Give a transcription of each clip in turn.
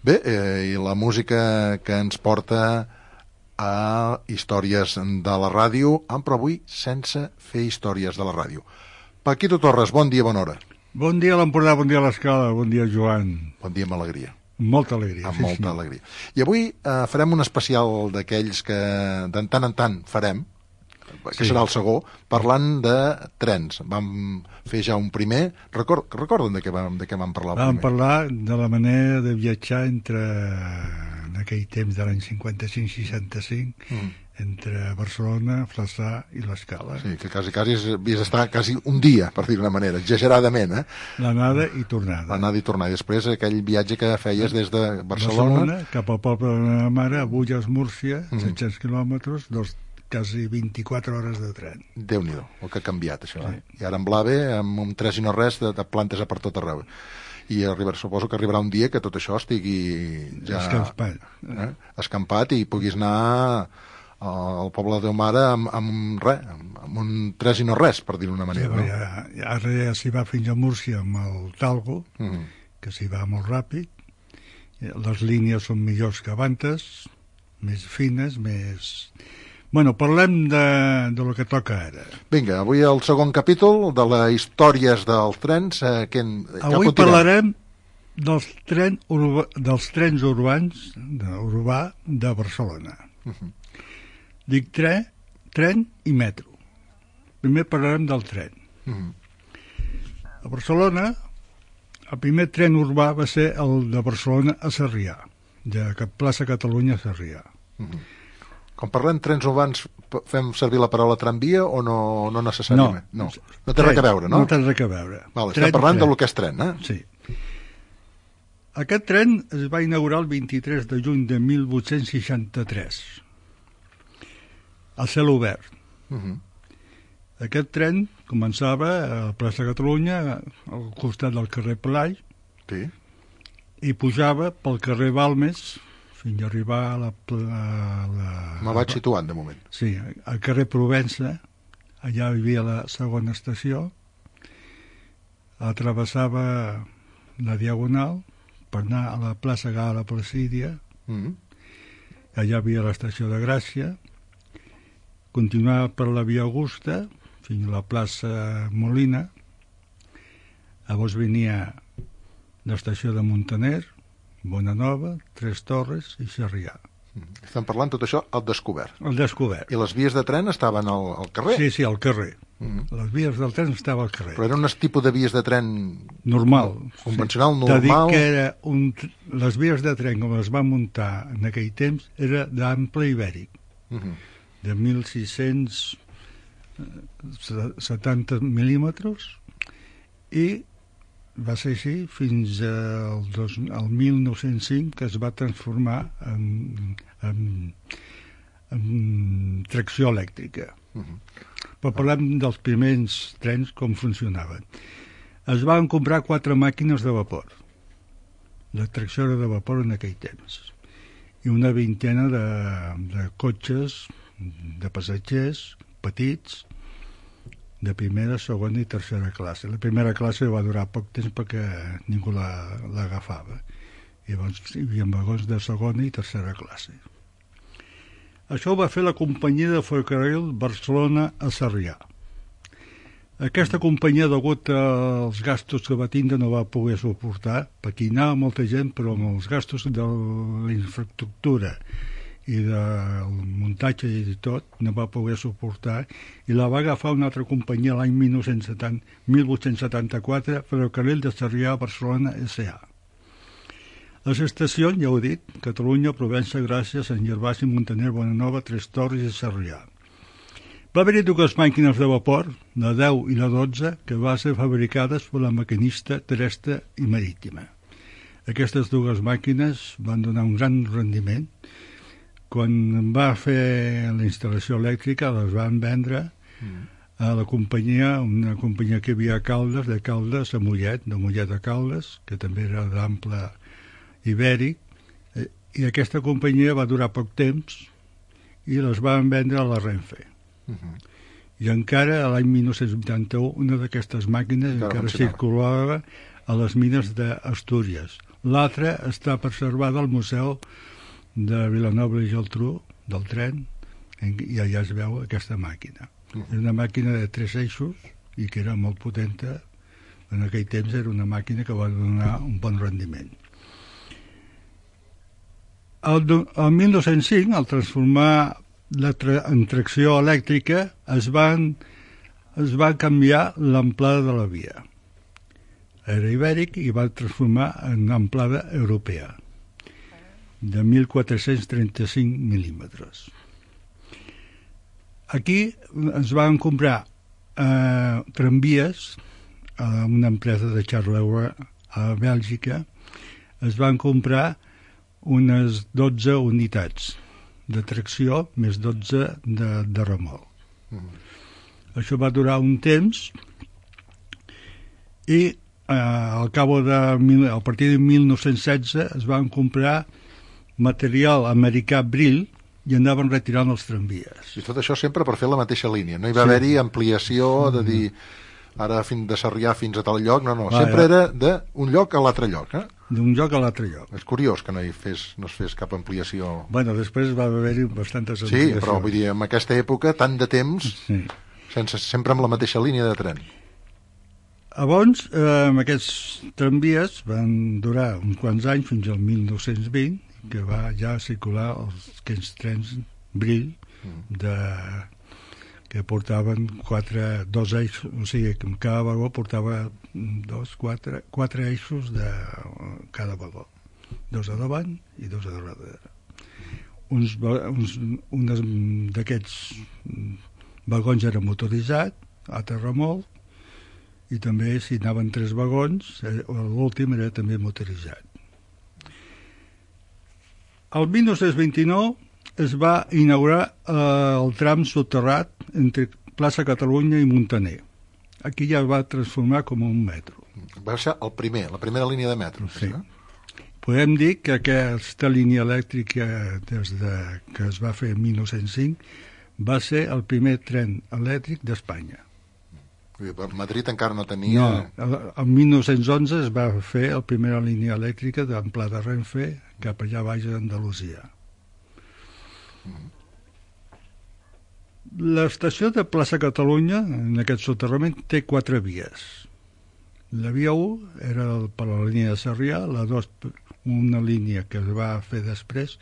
Bé, i la música que ens porta a històries de la ràdio, però avui sense fer històries de la ràdio. Paquito Torres, bon dia, bona hora. Bon dia a l'Empordà, bon dia a l'Escala, bon dia Joan. Bon dia amb alegria. Molta alegria. Amb molta alegria. I avui farem un especial d'aquells que de tant en tant farem, que serà el segon, parlant de trens. Vam fer ja un primer. Recorden de què vam parlar? Vam parlar de la manera de viatjar entre, en aquell temps de l'any 55-65, entre Barcelona, Flaçà i l'Escala. Sí, que quasi havies d'estar quasi un dia, per dir-ho d'una manera, exageradament, L'anada i tornada. L'anada i tornada. I després aquell viatge que feies des de Barcelona cap al poble de la mare, a Bulles, Múrcia, 700 quilòmetres, quasi 24 hores de tren. Déu-n'hi-do, el que ha canviat, això. Sí. I ara en Blave, amb un 3 i no res, de plantes a per tot arreu. I suposo que arribarà un dia que tot això estigui ja escampat i puguis anar al poble de Déu Mare amb un 3 i no res, per dir-ho d'una manera. Sí, ara ja s'hi va fins a Múrcia amb el Talgo, que s'hi va molt ràpid. Les línies són millors que abans, més fines, més... Bueno, parlem de lo que toca ara. Vinga, avui el segon capítol de les històries dels trens. Avui parlarem dels trens urbans de Barcelona. Dic tren i metro. Primer parlarem del tren. A Barcelona, el primer tren urbà va ser el de Barcelona a Sarrià, de plaça Catalunya a Sarrià. Quan parlem trens urbans, fem servir la paraula tramvia o no necessàriament? No té res a veure, no? No té res a veure. Estem parlant del que és tren, Sí. Aquest tren es va inaugurar el 23 de juny de 1863, a cel obert. Aquest tren començava a la plaça Catalunya, al costat del carrer Pelai, i pujava pel carrer Balmes, fins a arribar a la... Me vaig situant, de moment. Sí, al carrer Provença, allà hi havia la segona estació, travessava la Diagonal per anar a la plaça Gala Placídia, allà hi havia l'estació de Gràcia, continuava per la Via Augusta, fins a la plaça Molina, llavors venia l'estació de Montaner, Bonanova, Tres Torres i Sarrià. Estem parlant tot això al descobert. Al descobert. I les vies de tren estaven al carrer? Sí, al carrer. Les vies del tren estaven al carrer. Però era un tipus de vies de tren... Normal. Convencional, normal? T'ha dit que era les vies de tren, com les va muntar en aquell temps, era d'ample ibèric, de 1.670 mil·límetres, i va ser així fins al 1905, que es va transformar en tracció elèctrica. Però parlem dels primers trens, com funcionaven. Es van comprar 4 màquines de vapor. La tracció era de vapor en aquell temps. I una vintena de cotxes, de passatgers, petits, de primera, segona i tercera classe. La primera classe va durar poc temps perquè ningú l'agafava. Llavors hi havia vagons de segona i tercera classe. Això ho va fer la companyia de ferrocarril Barcelona a Sarrià. Aquesta companyia, degut als gastos que va tindre, no va poder suportar, perquè hi anava molta gent, però amb els gastos de la infraestructura i del muntatge i tot, no va poder suportar, i la va agafar una altra companyia l'any 1874, Ferrocarril de Sarrià a Barcelona S.A. Les estacions, ja ho he dit, Catalunya, Provença, Gràcia, Sant Gervasi, Montaner, Bonanova, Tres Torres i Sarrià. Va haver-hi 2 màquines de vapor, la 10 i la 12, que van ser fabricades per la maquinista terrestre i marítima. Aquestes 2 màquines van donar un gran rendiment. Quan va fer la instal·lació elèctrica, les van vendre a la companyia, una companyia que hi havia a Caldes, de Caldes a Mollet, de Mollet a Caldes, que també era d'ample ibèric, i aquesta companyia va durar poc temps i les van vendre a la Renfe. I encara a l'any 1981 una d'aquestes màquines encara circulava a les mines d'Astúries, L'altra està preservada al Museu de Vilanova i Geltrú, del tren, i allà es veu aquesta màquina. És una màquina de 3 eixos i que era molt potenta. En aquell temps era una màquina que va donar un bon rendiment. El 1905, al transformar en tracció elèctrica, es va canviar l'amplada de la via. Era ibèric i va transformar en amplada europea, de 1.435 mil·límetres. Aquí es van comprar tramvies a una empresa de Charleroi a Bèlgica. Es van comprar unes 12 unitats de tracció més 12 de remolc. Això va durar un temps i a partir de 1916 es van comprar material americà Brill i anaven retirant els tramvies. I tot això sempre per fer la mateixa línia. No hi va haver-hi ampliació de dir ara de Sarrià fins a tal lloc, no. Sempre era d'un lloc a l'altre lloc, eh? D'un lloc a l'altre lloc. És curiós que no es fes cap ampliació. Bueno, després va haver-hi bastantes ampliacions. Sí, però vull dir, en aquesta època, tant de temps, sempre amb la mateixa línia de tren. Llavors, aquests tramvies van durar uns quants anys, fins al 1920, que va ja circular aquests trens Brill que portaven 2 eixos, o sigui, que cada vagó portava 4 eixos de cada vagó, 2 a davant i 2 a darrere. Un d'aquests vagons era motoritzat, altre remolc, i també si anaven 3 vagons, l'últim era també motoritzat. El 1929 es va inaugurar el tram soterrat entre plaça Catalunya i Muntaner. Aquí ja va transformar com un metro. Va ser la primera línia de metro. Sí. Podem dir que aquesta línia elèctrica des que es va fer en 1905 va ser el primer tren elèctric d'Espanya. Madrid encara no tenia... No, el 1911 es va fer la primera línia elèctrica d'amplada Renfe cap allà baix d'Andalusia. L'estació de plaça Catalunya, en aquest soterrament, té 4 vies. La via 1 era per la línia de Sarrià, la 2 una línia que es va fer després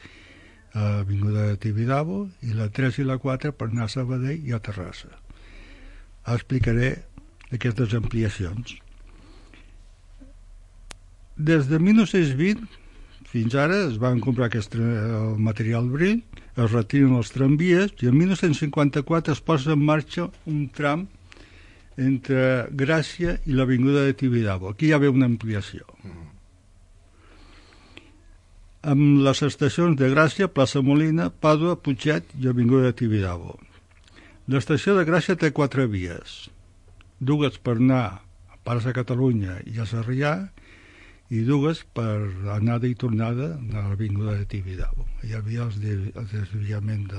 a Avinguda de Tibidabo, i la 3 i la 4 per anar a Sabadell i a Terrassa. Explicaré aquestes ampliacions. Des de 1920 fins ara es van comprar el material Brill, es retiren els tramvies i en 1954 es posa en marxa un tram entre Gràcia i l'Avinguda de Tibidabo. Aquí hi ha una ampliació. Amb les estacions de Gràcia, Plaça Molina, Pàdua, Putxet i Avinguda de Tibidabo. L'estació de Gràcia té 4 vies, 2 per anar a Plaça Catalunya i a Sarrià i 2 per anada i tornada a l'Avinguda de Tibidabo. Hi havia el desviament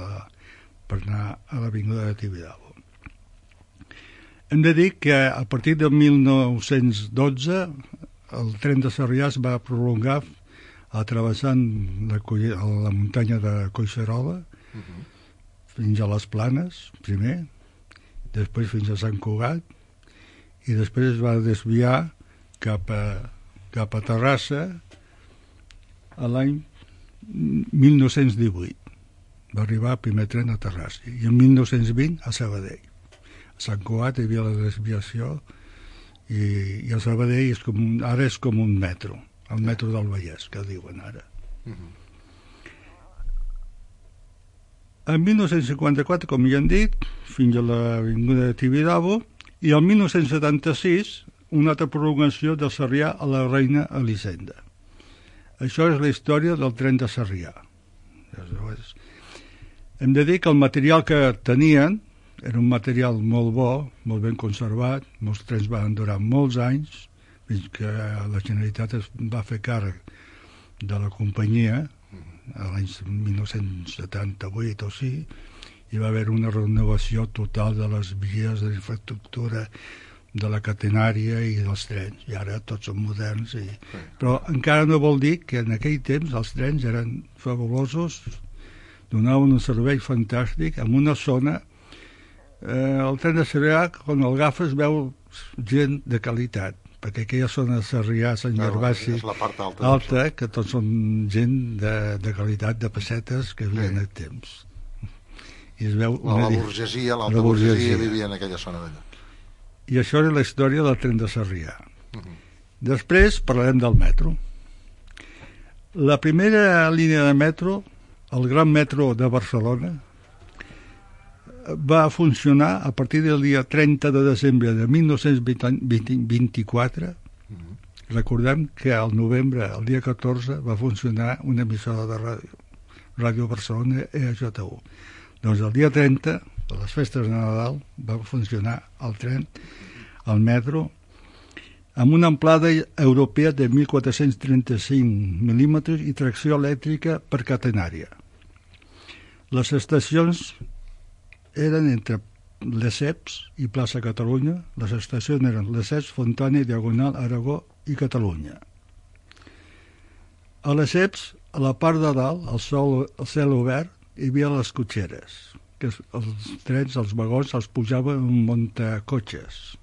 per anar a l'Avinguda de Tibidabo. Hem de dir que a partir de 1912 el tren de Sarrià es va prolongar travessant la muntanya de Collserola fins a les Planes, primer, després fins a Sant Cugat, i després es va desviar cap a Terrassa a l'any 1918. Va arribar el primer tren a Terrassa, i en 1920 a Sabadell. A Sant Cugat hi havia la desviació, i a Sabadell ara és com un metro, el metro del Vallès, que diuen ara. En 1954, com ja hem dit, fins a l'Avinguda de Tibidabo, i el 1976 una altra prolongació del Sarrià a la Reina Elisenda. Això és la història del tren de Sarrià. Hem de dir que el material que tenien era un material molt bo, molt ben conservat, molts trens van durar molts anys, fins que la Generalitat es va fer càrrec de la companyia, a l'any 1978 o sí, hi va haver una renovació total de les vies, de l'infraestructura, de la catenària i dels trens, i ara tots són moderns. Però encara no vol dir que en aquell temps els trens eren fabulosos, donaven un servei fantàstic en una zona. El tren de Sarrià, quan el agafes, veu gent de qualitat, perquè aquella zona de Sarrià, Sant Gervasi, alta, que tots són gent de qualitat, de pessetes que vivien al temps. I es veu la burgesia, l'alta burgesia vivia en aquella zona d'allà. I això era la història del tren de Sarrià. Després parlarem del metro. La primera línia de metro, el Gran Metro de Barcelona, va funcionar a partir del dia 30 de desembre de 1924. Recordem que al novembre, el dia 14, va funcionar una emissora de ràdio, Ràdio Barcelona EJU. Doncs el dia 30, de les festes de Nadal, va funcionar el tren, el metro, amb una amplada europea de 1.435 mil·límetres i tracció elèctrica per catenària. Les estacions eren entre Lesseps i plaça Catalunya. Les estacions eren Lesseps, Fontana, Diagonal, Aragó i Catalunya. A Lesseps, a la part de dalt, al cel obert, hi havia les cotxeres, que els trens, els vagons, els pujaven en muntacotxes.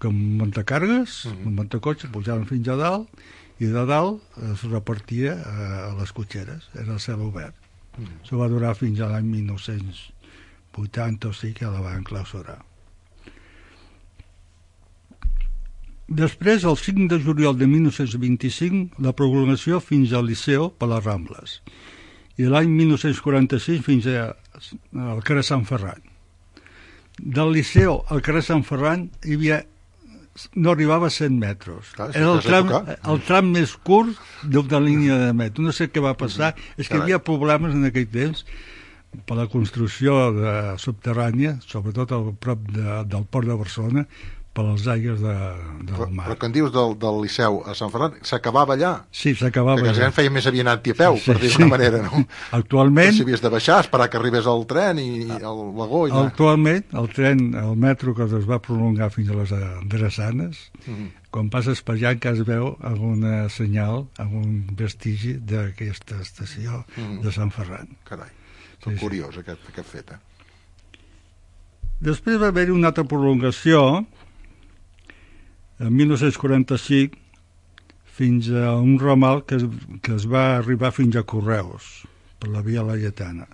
Com muntacàrregues, un muntacotxes, pujaven fins a dalt, i de dalt es repartia a les cotxeres, era el cel obert. Això va durar fins a l'any 1980 o sigui que la van clausurar. Després, el 5 de juliol de 1925, la prolongació fins al Liceu per les Rambles. I l'any 1946 fins al carrer Sant Ferran. Del Liceu al carrer Sant Ferran hi havia, no arribava a 100 metres. Era el tram més curt de la línia de metro. No sé què va passar. És que hi havia problemes en aquell temps per la construcció subterrània, sobretot a prop del port de Barcelona, per les aigües del mar. Però quan dius del Liceu a Sant Ferran, s'acabava allà? Sí, s'acabava allà. Que feia més aviat a peu, per dir-ho d'una manera, no? Actualment... Si havies de baixar, esperar que arribés el tren i el vagó... Actualment, el metro que es va prolongar fins a les Drassanes, quan passes per allà encara es veu alguna senyal, algun vestigi d'aquesta estació de Sant Ferran. Carai, curiós aquest fet, eh? Després va haver-hi una altra prolongació en 1945 fins a un ramal que es va arribar fins a Correus per la via Laietana.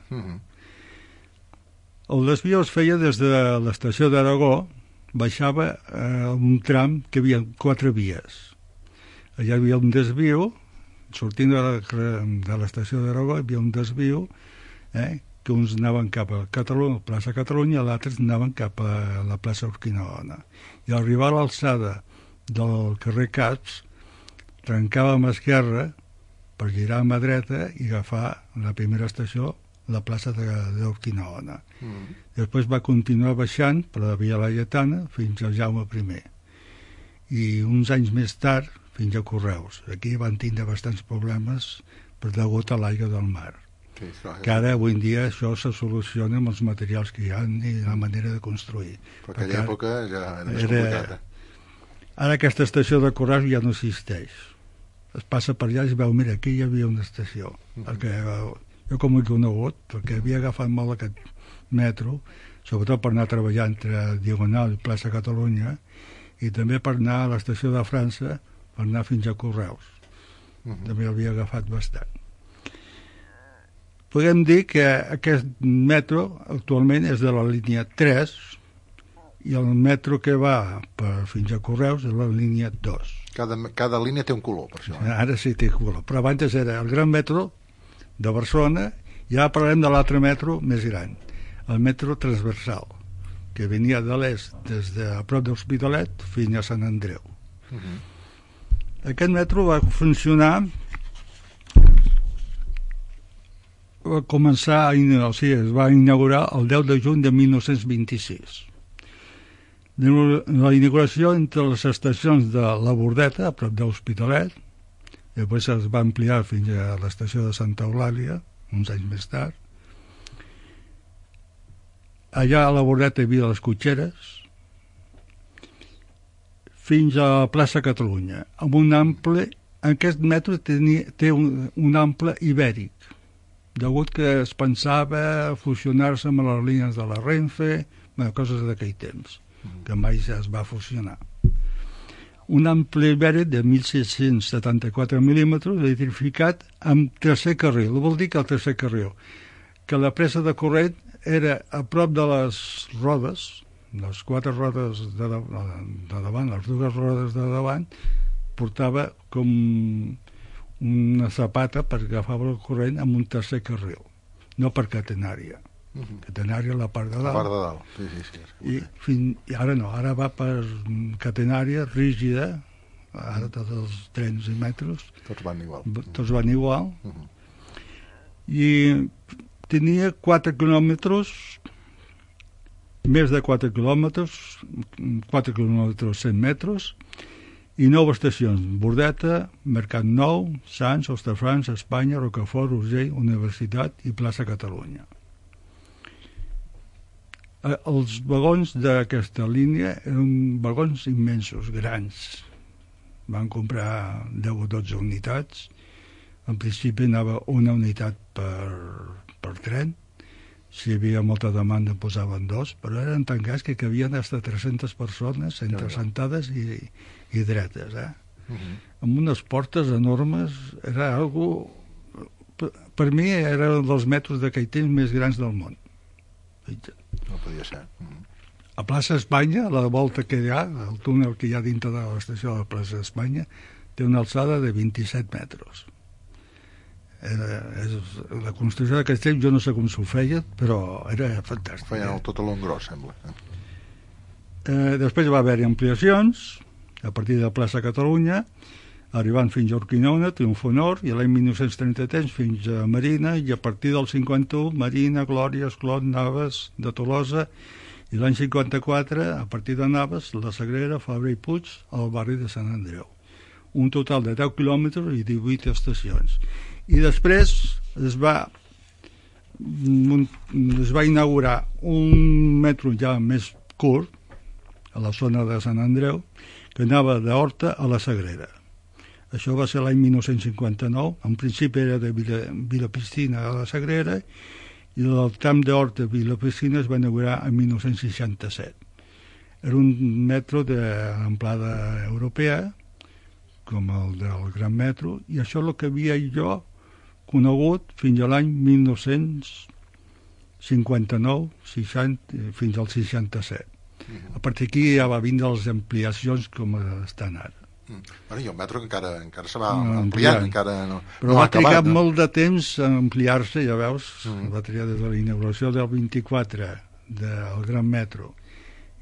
El desvió es feia des de l'estació d'Aragó, baixava un tram que hi havia 4 vies. Allà hi havia un desvió, sortint de l'estació d'Aragó hi havia un desvió, que uns anaven cap a plaça Catalunya i altres anaven cap a la plaça Urquinaona. I al arribar a l'alçada del carrer Caps, trencava a mà esquerra per girar a mà dreta i agafar la primera estació, la plaça d'Urquinaona. Després va continuar baixant per la via Laietana fins al Jaume I. I uns anys més tard fins a Correus. Aquí van tindre bastants problemes per degut a l'aigua del mar. Que ara, avui en dia, això se soluciona amb els materials que hi ha i la manera de construir. Però aquella època ja era més complicat. Ara aquesta estació de Correus ja no existeix. Es passa per allà i es veu, mira, aquí hi havia una estació. Perquè jo com ho he conegut, perquè havia agafat molt aquest metro, sobretot per anar a treballar entre Diagonal i plaça Catalunya, i també per anar a l'estació de França, per anar fins a Correus. També havia agafat bastant. Podem dir que aquest metro actualment és de la línia 3 i el metro que va fins a Correus és la línia 2. Cada línia té un color, per això. Ara sí té color, però abans era el Gran Metro de Barcelona i ara parlem de l'altre metro més gran, el metro transversal, que venia de l'est des de a prop de l'Hospitalet fins a Sant Andreu. Aquest metro va funcionar, va començar, es va inaugurar el 10 de juny de 1926. La inauguració entre les estacions de la Bordeta, a prop de l'Hospitalet, després es va ampliar fins a l'estació de Santa Eulàlia, uns anys més tard. Allà a la Bordeta hi havia les cotxeres fins a la plaça Catalunya, amb un ample. Aquest metro té un ample ibèric, degut que es pensava fusionar-se amb les línies de la Renfe, coses d'aquell temps, que mai es va fusionar. Un ample ibèric de 1.674 mil·límetres, electrificat amb tercer carril. Vol dir que el tercer carril, que la presa de corrent era a prop de les rodes, les quatre rodes de davant, les dues rodes de davant, portava com una zapata per agafar el corrent amb un tercer carril, no per catenària. Catenària a la part de dalt. La part de dalt, sí. I ara no, ara va per catenària rígida, ara tots els trens i metros. Tots van igual. Tots van igual. I tenia 4 quilòmetres, més de 4 quilòmetres, 4 quilòmetres 100 metres, i 9 estacions: Bordeta, Mercat Nou, Sants, Hostafrancs, Espanya, Rocafort, Urgell, Universitat i plaça Catalunya. Els vagons d'aquesta línia eren vagons immensos, grans. Van comprar 10 o 12 unitats. En principi anava una unitat per tren. Si hi havia molta demanda en posaven 2, però eren tan grans que cabien fins a 300 persones entre sentades i dretes. Amb unes portes enormes. Era algo... Per mi era un dels metros d'aquell temps més grans del món. No podia ser. A plaça Espanya, la volta que hi ha, el túnel que hi ha dintre de l'estació de la plaça Espanya, té una alçada de 27 metres. La construcció d'aquest temps, jo no sé com s'ho feia, però era fantàstic. Feien tot a l'engròs, sembla. Després va haver-hi ampliacions, a partir de la plaça Catalunya, arribant fins a Urquinaona, Triomf Honor, i l'any 1933 fins a Marina, i a partir del 51, Marina, Glòria, Esclot, Navas, de Tolosa, i l'any 54, a partir de Navas, la Sagrera, Fabra i Puig, al barri de Sant Andreu. Un total de 10 quilòmetres i 18 estacions. I després es va inaugurar un metro ja més curt, a la zona de Sant Andreu, que anava d'Horta a la Sagrera. Això va ser l'any 1959, en principi era de Vilapicina a la Sagrera, i el tram d'Horta a Vilapicina es va inaugurar en 1967. Era un metro d'amplada europea, com el del Gran Metro, i això és el que havia jo conegut fins a l'any 1959, 60, fins al 67. A partir d'aquí ja va vindre les ampliacions com estan ara. Bueno, i el metro encara se va ampliant, encara no, però no va trigar molt de temps a ampliar-se, ja veus, va trigar des de la inauguració del 24 del Gran Metro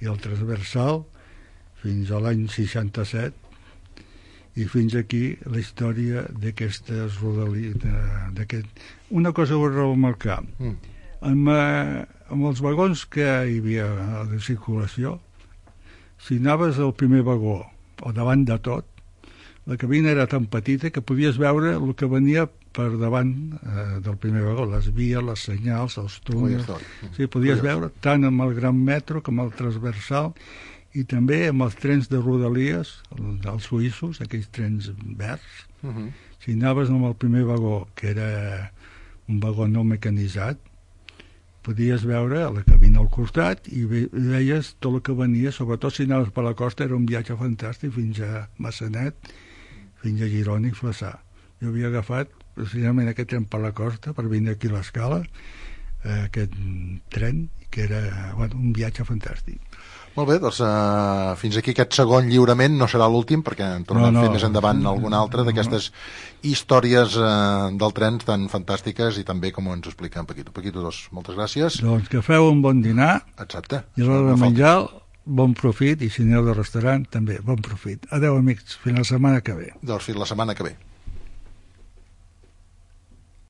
i el transversal fins a l'any 67, i fins aquí la història d'aquestes rodalies. Una cosa vull remarcar, amb els vagons que hi havia de circulació, si anaves al primer vagó o davant de tot, la cabina era tan petita que podies veure el que venia per davant del primer vagó, les vies, les senyals, els túnels. Sí, podies veure tant amb el Gran Metro com el transversal, i també amb els trens de rodalies, els suïssos, aquells trens verds. Si anaves amb el primer vagó, que era un vagó no mecanitzat, podies veure la cabina al costat i veies tot el que venia, sobretot si anaves per la costa. Era un viatge fantàstic fins a Massanet, fins a Girona i Flaçà. Jo havia agafat precisament aquest tren per la costa per vindre aquí a l'Escala, aquest tren, que era un viatge fantàstic. Molt bé, doncs fins aquí aquest segon lliurament. No serà l'últim, perquè en tornem a fer més endavant alguna altra d'aquestes històries del tren tan fantàstiques i també com ens ho explica en Paquito. Paquito, moltes gràcies. Doncs que feu un bon dinar. Exacte. I a l'hora de menjar, bon profit, i si aneu de restaurant també, bon profit. Adeu, amics, fins la setmana que ve. Doncs fins la setmana que ve.